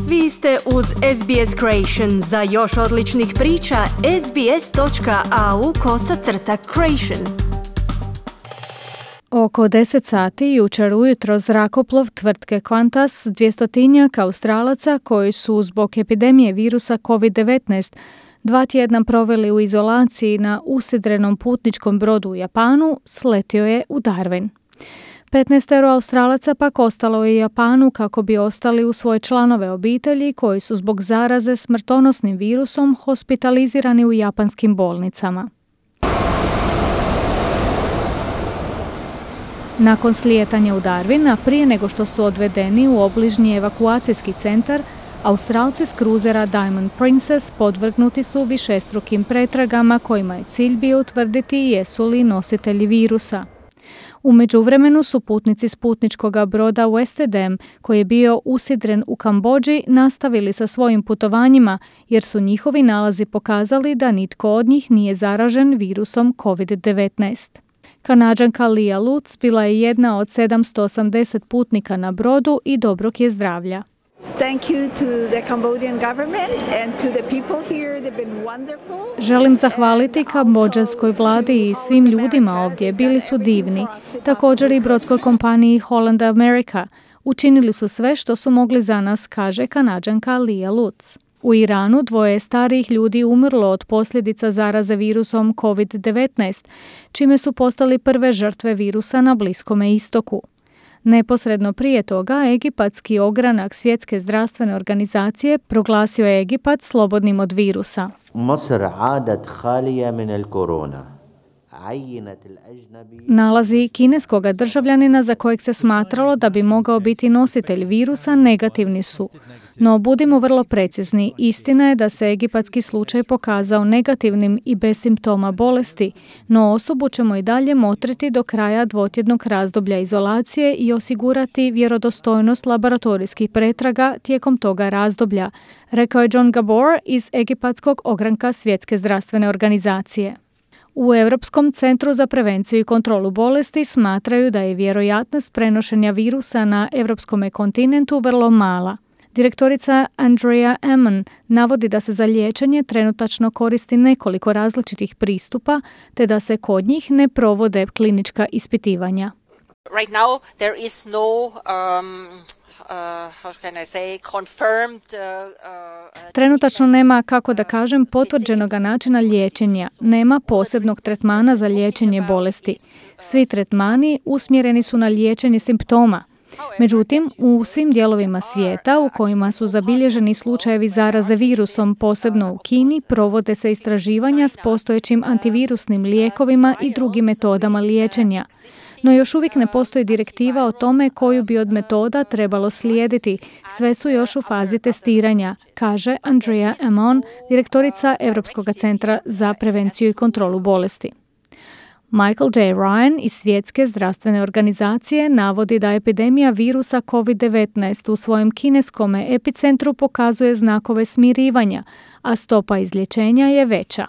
Vi ste uz SBS Creation. Za još odličnih priča, sbs.au/creation. Oko 10 sati jučer ujutro zrakoplov tvrtke Qantas 200-tinjak Australaca koji su zbog epidemije virusa COVID-19 2 tjedna proveli u izolaciji na usidrenom putničkom brodu u Japanu, sletio je u Darwin. 15 Australaca pak ostalo je u Japanu kako bi ostali uz svoje članove obitelji koji su zbog zaraze smrtonosnim virusom hospitalizirani u japanskim bolnicama. Nakon slijetanja u Darwin, a prije nego što su odvedeni u obližnji evakuacijski centar, Australci s kruzera Diamond Princess podvrgnuti su višestrukim pretragama kojima je cilj bio utvrditi jesu li nositelji virusa. U međuvremenu su putnici s putničkog broda Westerdam, koji je bio usidren u Kambodži, nastavili sa svojim putovanjima jer su njihovi nalazi pokazali da nitko od njih nije zaražen virusom COVID-19. Kanađanka Leah Lutz bila je jedna od 780 putnika na brodu i dobrog je zdravlja. Želim zahvaliti kambodžanskoj vladi i svim ljudima ovdje, bili su divni. Također i brodskoj kompaniji Holland America. Učinili su sve što su mogli za nas, kaže Kanađanka Leah Lutz. U Iranu 2 starijih ljudi umrlo od posljedica zaraze virusom COVID-19, čime su postali prve žrtve virusa na Bliskome istoku. Neposredno prije toga, egipatski ogranak Svjetske zdravstvene organizacije proglasio je Egipat slobodnim od virusa. Nalazi kineskog državljanina za kojeg se smatralo da bi mogao biti nositelj virusa negativni su. No budimo vrlo precizni, istina je da se egipatski slučaj pokazao negativnim i bez simptoma bolesti, no osobu ćemo i dalje motriti do kraja 2-tjednog razdoblja izolacije i osigurati vjerodostojnost laboratorijskih pretraga tijekom toga razdoblja, rekao je John Gabor iz egipatskog ogranka Svjetske zdravstvene organizacije. U Europskom centru za prevenciju i kontrolu bolesti smatraju da je vjerojatnost prenošenja virusa na europskom kontinentu vrlo mala. Direktorica Andrea Ammon navodi da se za liječenje trenutačno koristi nekoliko različitih pristupa, te da se kod njih ne provode klinička ispitivanja. Right now there is no Trenutačno nema, kako da kažem, potvrđenog načina liječenja. Nema posebnog tretmana za liječenje bolesti. Svi tretmani usmjereni su na liječenje simptoma. Međutim, u svim dijelovima svijeta u kojima su zabilježeni slučajevi zaraze virusom, posebno u Kini, provode se istraživanja s postojećim antivirusnim lijekovima i drugim metodama liječenja. No još uvijek ne postoji direktiva o tome koju bi od metoda trebalo slijediti. Sve su još u fazi testiranja, kaže Andrea Ammon, direktorica Europskog centra za prevenciju i kontrolu bolesti. Michael J. Ryan iz Svjetske zdravstvene organizacije navodi da epidemija virusa COVID-19 u svojem kineskom epicentru pokazuje znakove smirivanja, a stopa izlječenja je veća.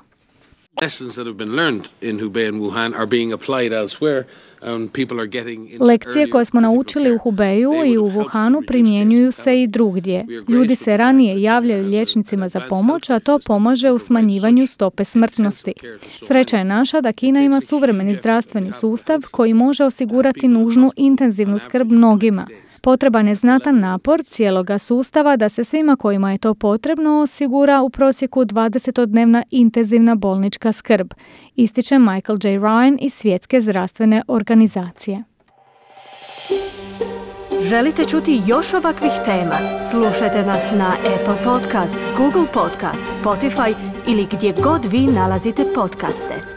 Lekcije koje smo naučili u Hubeju i u Wuhanu primjenjuju se i drugdje. Ljudi se ranije javljaju liječnicima za pomoć, a to pomaže u smanjivanju stope smrtnosti. Sreća je naša da Kina ima suvremeni zdravstveni sustav koji može osigurati nužnu intenzivnu skrb mnogima. Potreban je znatan napor cijeloga sustava da se svima kojima je to potrebno osigura u prosjeku 20-dnevna intenzivna bolnička skrb, ističe Michael J. Ryan iz Svjetske zdravstvene organizacije. Želite čuti još ovakvih tema? Slušajte nas na Apple Podcast, Google Podcast, Spotify ili gdje god vi nalazite podcaste.